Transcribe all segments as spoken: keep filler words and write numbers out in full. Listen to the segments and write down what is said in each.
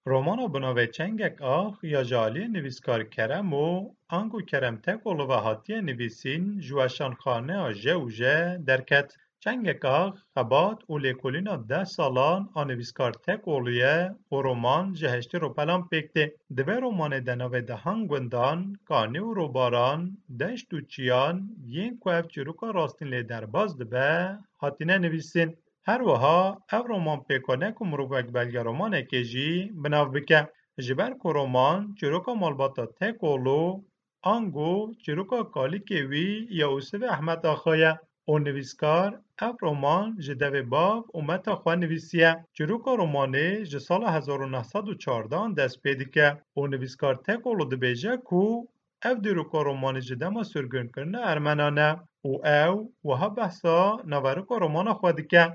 Romana bi navê Çengek Ax ya ji aliyê nivîskar Keremo ango Kerem Tekoglu ve hatiye nivîsîn ji weşanxaneya Je û Je derket. Çengek Ax xebat û lêkolîna deh salan a nivîskar Tekoglu ye û roman ji heştê ropelan pêk tê. Di vê romanê de navê dehan gundan, kanî û robaran, deşt û çiyan yên ku ev çîroka rastîn lê derbas dibe, hatine nivîsîn. Her wiha ev roman pêka ne ku mirov wek belgeromanekê jî bi nav bike. Ji ber ku roman çîroka malbata Tekoglu ango çîroka kalikê wî ya Ûsivê Ehmed Axa ye û nivîskar ev roman ji devê bav û meta xwe nivîsiye. Çîroka romanê ji sala hezar û neh sed û çardehan dest pê dike û nivîskar Tekoglu dibêje ku ev dîroka romanê ji dema sirgunkirina Ermenan e û ew wiha behsa naverika romana xwe dike.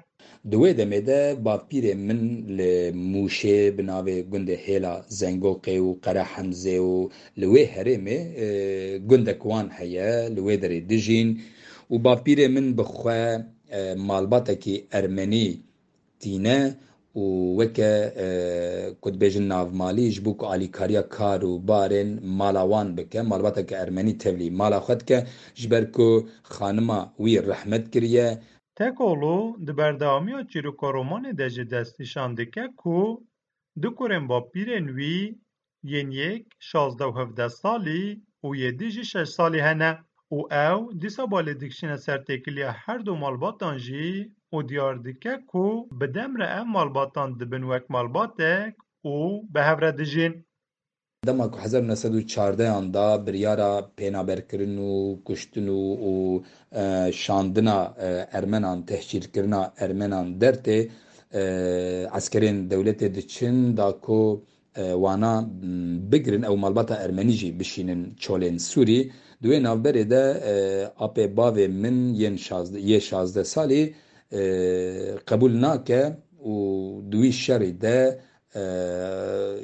Di wê demê de bavpîrê min li Mûşê bi navê gundê Hêla Zengoqê û Qere Hemzê û li wê herêmê, e, gundek wan heye, li wê derê dijîn û bavpîrê min bi xwe, e, malbatekî ermenî tîne û weke, e, ku dibêjin navmalî ji bo ku alîkariya kar û barên mala wan bike, malbateke ermenî tevlî mala xwe dike, ji ber ku xanima wî rehmet kiriye. Tekoglu di berdewamiya çîroka romanê de jî destnîşan dike ku du kurên bavpîrên wî yên yek şazdeh û hevdeh salî û yê dî jî şeş salî hene û ew dîsa balê dikişîne ser têkiliya her du malbatan jî û diyar dike ku bi dem re ev malbatan dibin wek malbatek û bi hev re dijîn. Dema ku hezar û neh sed û çardehan da biryara pênaberkirin û kuştin û, û, e, şandina, e, Ermenan, tehcîrkirina Ermenan dertê, e, eskerên dewletê diçin da ku, e, wana, m, bigirin, ew malbata ermenî jî bişînin çolên Sûrî. Di wê navberê de, e, apê bavê min yên şazdeh, yê şazdeh salî, e, qebûl nake û di wî şerî de, e,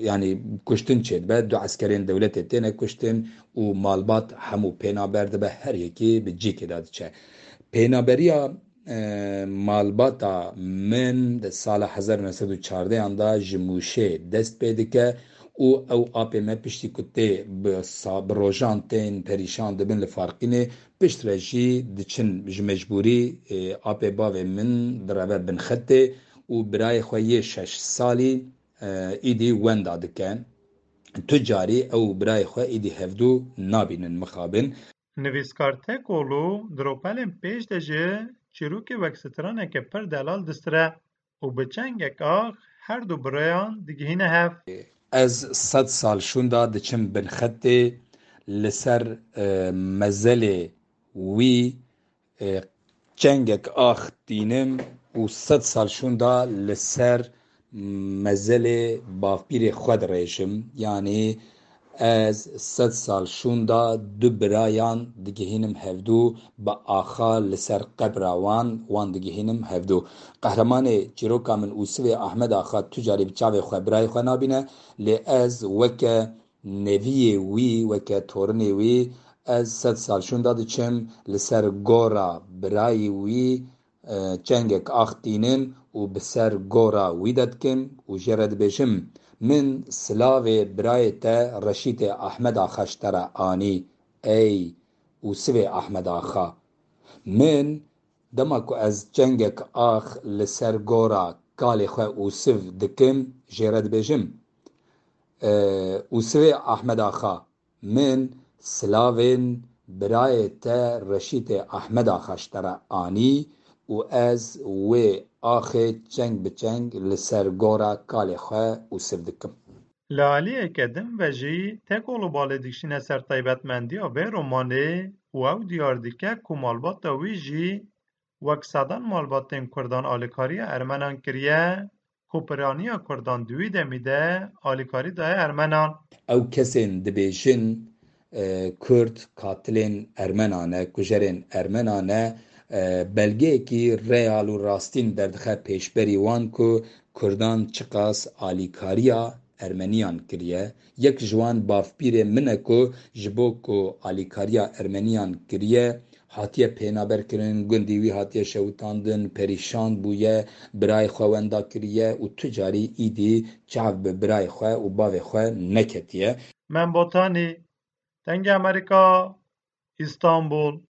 yanî kuştin çêdibe, du eskerên dewletê têne kuştin û malbat hemû pênaber dibe, her yekî bi cîkê de diçe. Pênaberiya, e, malbata min di sala hezar û neh sed û çardehan da ji Mûşê dest pê dike û ew apê me piştî ku tê bi sa-, bi rojan tên perîşan dibin li Farqînê, piştre jî diçin ji mecbûrî, e, apê bavê min direve bin xetê û birayê xwe yê şeş salî, e, îdî wenda dike. Tu carî ew û birayê xwe îdî hevdû nabînin mixabin. Nivîskar Tekoglu di ropelên pêş de jî çîrokê wek straneke pir delal distire û bi Çengek Ax her du birayan digihîne hev. Ez sed sal şûnda diçim bin xetê, li ser, e, mezelê wî, e, Çengek Ax tînim û sed sal şûnda li ser mezelê bavpîrê xwe dirêjim. Yanî ez sed sal şûnda du birayan digihînim hevdû, bi axa li ser qebra wan, wan digihînim hevdû. Qehremanê çîroka min Ûsivê Ahmed Axa tu carî bi çavê xwe birayê xwe nabîne, lê ez weke neviyê wî, weke torinê wî, ez sed sal şûnda diçim, li ser gora birayê wî, e, çengek ax tînim û bi ser gora wî de dikim û jê re dibêjim, min silavê birayê te Reşîtê Ahmed Axa ji te re anî, ey Ûsivê Ahmed Axa. Min, dema ku ez çengek ax li ser gora kalê xwe Ûsiv dikim, jê re dibêjim, e, Ûsivê Ahmed Axa, min silavên birayê te Reşîtê Ahmed Axa ji te re anî û ez wê axê çeng bi çeng li ser gora kalê xwe Ûsiv dikim. Li aliyeke din ve jî Tekoglu balê dikişîne ser taybetmendiya vê romanê û ew diyar dike ku malbata wî jî wek sedan malbatên Kurdan alîkariya Ermenan kiriye, ku piraniya Kurdan di wî demî de alîkarî daye Ermenan. Ew kesên dibêjin, e, Kurd katilên Ermenan e, kujerên Ermenan e, e, belgeyekî real û rastîn derdixe pêşberî wan ku Kurdan çiqas alîkariya Ermeniyan kiriye. Yek ji wan bavpîrê min e ku ji bo ku alîkariya Ermeniyan kiriye, hatiye pênaberkirin, gundî wî hatiye şewitandin, perîşan bûye, birayê xwe wenda kiriye û tu carî îdî çav bi birayê xwe û bavê xwe neketiye. Mem Botanî, Dengê Amerîka, Îstanbul.